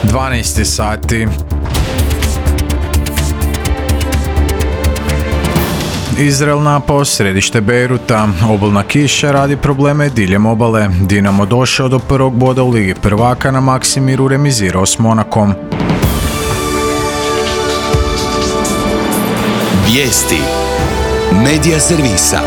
12 sati. Izrael napao središte Bejruta, obilna kiša radi probleme diljem obale. Dinamo došao do prvog boda u Ligi prvaka, na Maksimiru remizirao s Monakom. Vijesti Medija servisa.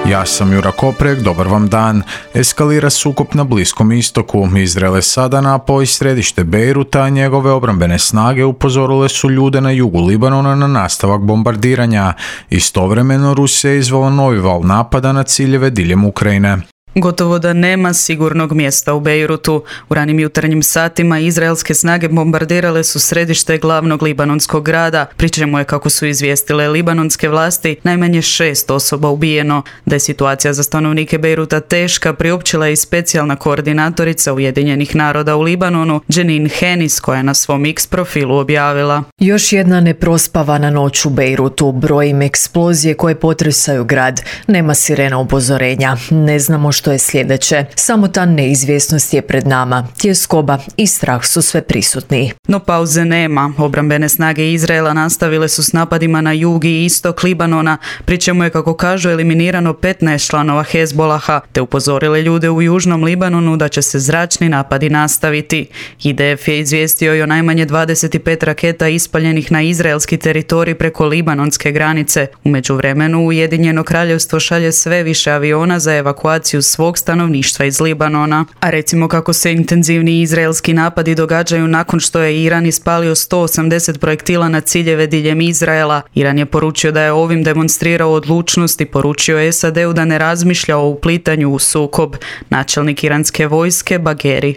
Ja sam Jura Koprek, dobar vam dan. Eskalira sukob na Bliskom istoku. Izrael je sada napao i središte Bejruta, a njegove obrambene snage upozorile su ljude na jugu Libanona na nastavak bombardiranja. Istovremeno Rusija je izvela novi val napada na ciljeve diljem Ukrajine. Gotovo da nema sigurnog mjesta u Bejrutu. U ranim jutarnjim satima izraelske snage bombardirale su središte glavnog libanonskog grada, pri čemu je, kako su izvijestile libanonske vlasti, najmanje 6 osoba ubijeno. Da je situacija za stanovnike Bejruta teška, priopćila je i specijalna koordinatorica Ujedinjenih naroda u Libanonu, Jenin Hennis, koja je na svom X profilu objavila: Još jedna neprospavana noć u Bejrutu, brojim eksplozije koje potresaju grad. Nema sirena upozorenja. Ne znamo što je sljedeće. Samo ta neizvjesnost je pred nama. Tjeskoba i strah su sve prisutni. No pauze nema. Obrambene snage Izraela nastavile su s napadima na jug i istok Libanona, pri čemu je, kako kažu, eliminirano 15 članova Hezbolaha, te upozorile ljude u južnom Libanonu da će se zračni napadi nastaviti. IDF je izvijestio i o najmanje 25 raketa ispaljenih na izraelski teritorij preko libanonske granice. U međuvremenu Ujedinjeno kraljevstvo šalje sve više aviona za evakuaciju svog stanovništva iz Libanona. A recimo kako se intenzivni izraelski napadi događaju nakon što je Iran ispalio 180 projektila na ciljeve diljem Izraela. Iran je poručio da je ovim demonstrirao odlučnost i poručio SAD-u da ne razmišlja o uplitanju u sukob. Načelnik iranske vojske Bagheri: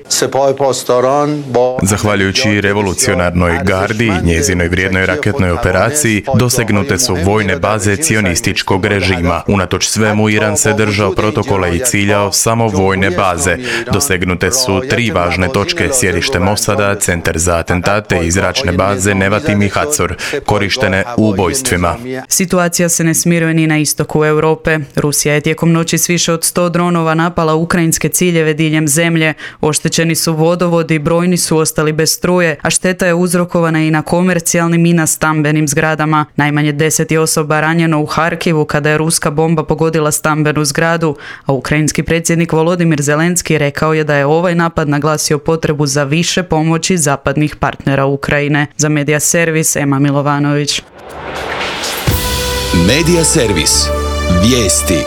Zahvaljujući revolucionarnoj gardi i njezinoj vrijednoj raketnoj operaciji dosegnute su vojne baze cionističkog režima. Unatoč svemu, Iran se držao protokola i ciljao samo vojne baze. Dosegnute su 3 važne točke: sjedište Mosada, centar za atentate i zračne baze Nevatim i Hatzor, korištene u ubojstvima. Situacija se ne smiruje ni na istoku Europe. Rusija je tijekom noći s više od 100 dronova napala ukrajinske ciljeve diljem zemlje. Oštećeni su vodovodi, brojni su ostali bez struje, a šteta je uzrokovana i na komercijalnim i na stambenim zgradama. Najmanje 10 je osoba ranjeno u Harkivu kada je ruska bomba pogodila stambenu zgradu, a ukrajinski predsjednik Volodimir Zelenski rekao je da je ovaj napad naglasio potrebu za više pomoći zapadnih partnera Ukrajine. Za Medija servis, Ema Milovanović. Medija servis. Vijesti.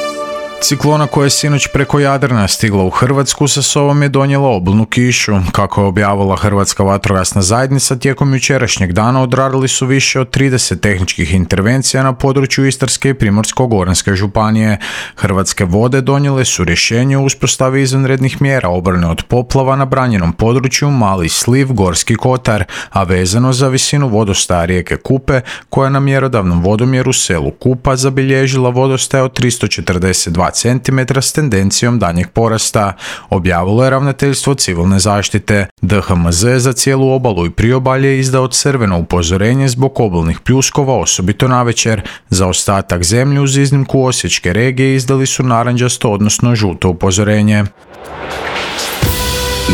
Ciklona koja je sinoć preko Jadrana stigla u Hrvatsku sa sobom je donijela obilnu kišu. Kako je objavila Hrvatska vatrogasna zajednica, tijekom jučerašnjeg dana odradili su više od 30 tehničkih intervencija na području Istarske i Primorsko-goranske županije. Hrvatske vode donijele su rješenje o uspostavi izvanrednih mjera obrane od poplava na branjenom području Mali Sliv, Gorski kotar, a vezano za visinu vodostaja rijeke Kupe, koja na mjerodavnom vodomjeru selu Kupa zabilježila vodostaj od 342 cm s tendencijom danjeg porasta, objavilo je Ravnateljstvo civilne zaštite. DHMZ za cijelu obalu i priobalje izdao crveno upozorenje zbog obalnih pljuskova, osobito navečer. Za ostatak zemlje uz iznimku Osječke regije izdali su narančasto, odnosno žuto upozorenje.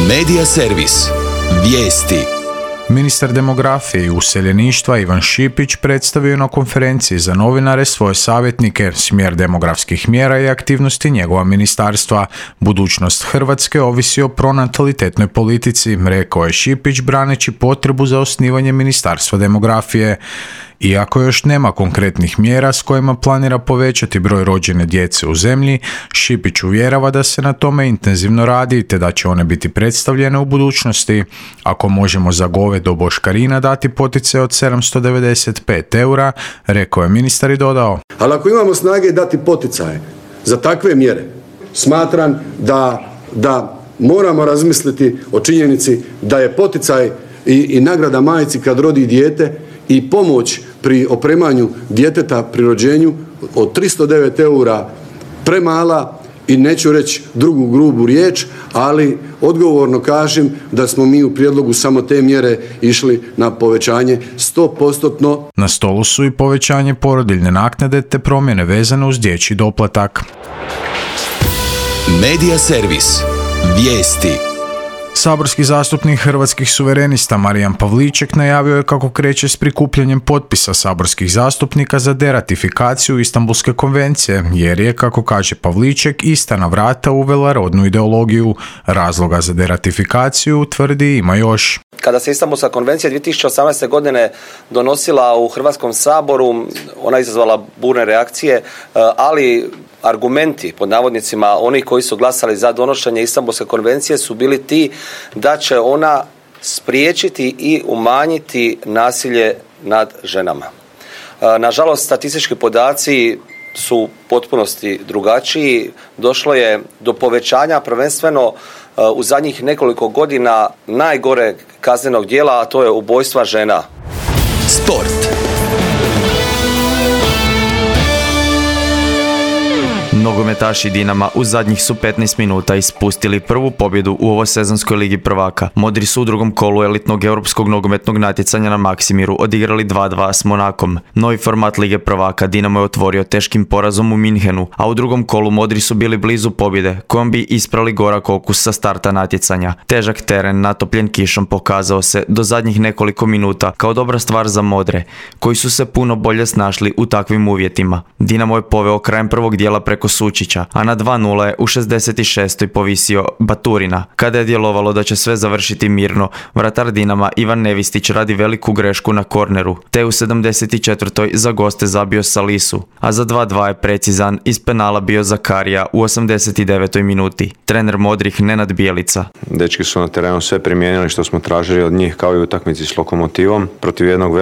Medija servis. Vijesti. Ministar demografije i useljeništva Ivan Šipić predstavio na konferenciji za novinare svoje savjetnike, smjer demografskih mjera i aktivnosti njegova ministarstva. Budućnost Hrvatske ovisi o pronatalitetnoj politici, rekao je Šipić braneći potrebu za osnivanje Ministarstva demografije. Iako još nema konkretnih mjera s kojima planira povećati broj rođene djece u zemlji, Šipić uvjerava da se na tome intenzivno radi te da će one biti predstavljene u budućnosti. Ako možemo za govedo boškarina dati potice od 795 eura, rekao je ministar i dodao: Ali ako imamo snage dati poticaje za takve mjere, smatram da moramo razmisliti o činjenici da je poticaj i nagrada majci kad rodi dijete i pomoć pri opremanju djeteta pri rođenju od 309 eura premala i neću reći drugu grubu riječ, ali odgovorno kažem da smo mi u prijedlogu samo te mjere išli na povećanje 100%. Na stolu su i povećanje porodiljne naknade te promjene vezane uz dječji doplatak. Medija servis. Vijesti. Saborski zastupnik Hrvatskih suverenista Marijan Pavliček najavio je kako kreće s prikupljanjem potpisa saborskih zastupnika za deratifikaciju Istanbulske konvencije, jer je, kako kaže Pavliček, ista na vrata uvela rodnu ideologiju. Razloga za deratifikaciju, tvrdi, ima još. Kada se Istanbulska konvencija 2018. godine donosila u Hrvatskom saboru, ona je izazvala burne reakcije, ali argumenti, pod navodnicima, oni koji su glasali za donošenje Istanbulske konvencije su bili ti da će ona spriječiti i umanjiti nasilje nad ženama. Nažalost, statistički podaci su u potpunosti drugačiji. Došlo je do povećanja prvenstveno u zadnjih nekoliko godina najgoreg kaznenog djela, a to je ubojstva žena. Sport. Nogometaši Dinama u zadnjih su 15 minuta ispustili prvu pobjedu u ovoj sezonskoj ligi prvaka. Modri su u drugom kolu elitnog europskog nogometnog natjecanja na Maksimiru odigrali 2-2 s Monakom. Novi format lige prvaka Dinamo je otvorio teškim porazom u Minhenu, a u drugom kolu Modri su bili blizu pobjede, kojom bi isprali gorak okus sa starta natjecanja. Težak teren natopljen kišom pokazao se do zadnjih nekoliko minuta kao dobra stvar za Modre, koji su se puno bolje snašli u takvim uvjetima. Dinamo je poveo krajem prvog dijela preko Sučića, a na 2-0 je u 66. povisio Baturina. Kada je djelovalo da će sve završiti mirno, vratar Dinama Ivan Nevistić radi veliku grešku na korneru, te u 74. za goste zabio Salisu, a za 2-2 je precizan iz penala bio Zakarija u 89. minuti. Trener Modrih Nenad Bijelica. Dečki su na terenu sve primijenili što smo tražili od njih, kao i u utakmici s Lokomotivom, protiv jednog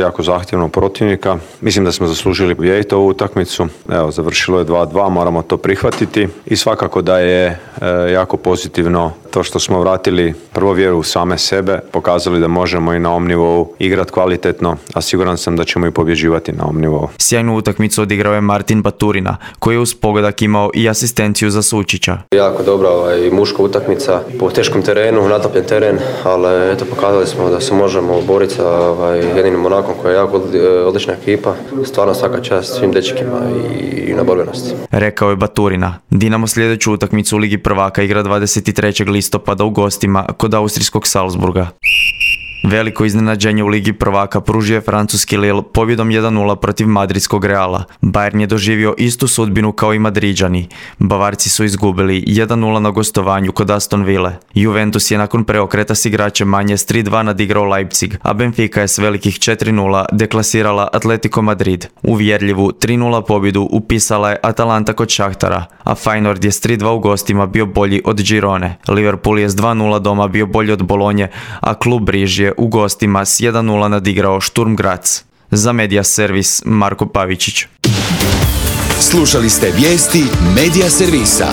jako zahtjevnog protivnika. Mislim da smo zaslužili pobijediti ovu utakmicu. Evo, završilo je 2-2, moramo to prihvatiti i svakako da je jako pozitivno to što smo vratili prvo vjeru u same sebe, pokazali da možemo i na ovom nivou igrati kvalitetno, a siguran sam da ćemo i pobjeđivati na ovom nivou. Sjajnu utakmicu odigrao je Martin Baturina, koji je uz pogodak imao i asistenciju za Sučića. Jako dobra muška utakmica po teškom terenu, natopljen teren, ali eto, pokazali smo da se možemo boriti sa jedinim Monakom koja je jako odlična ekipa. Stvarno svaka čast svim dečkima i na borbenosti. Rekao je Baturina. Dinamo sljedeću utakmicu u Ligi prvaka igra 23. listopada u gostima kod austrijskog Salzburga. Veliko iznenađenje u Ligi prvaka pružio je francuski Lille pobjedom 1-0 protiv madridskog Reala. Bayern je doživio istu sudbinu kao i Madriđani. Bavarci su izgubili 1-0 na gostovanju kod Aston Ville. Juventus je nakon preokreta s igračem manje s 3-2 nadigrao Leipzig, a Benfica je s velikih 4-0 deklasirala Atletico Madrid. Uvjerljivu 3-0 pobjedu upisala je Atalanta kod Šahtara, a Feyenoord je s 3-2 u gostima bio bolji od Girone. Liverpool je s 2-0 doma bio bolji od Bolonje, a klub Briž je u gostima s 1-0 nadigrao Sturm Graz. Za Media Servis Marko Pavičić. Slušali ste vijesti Media Servisa.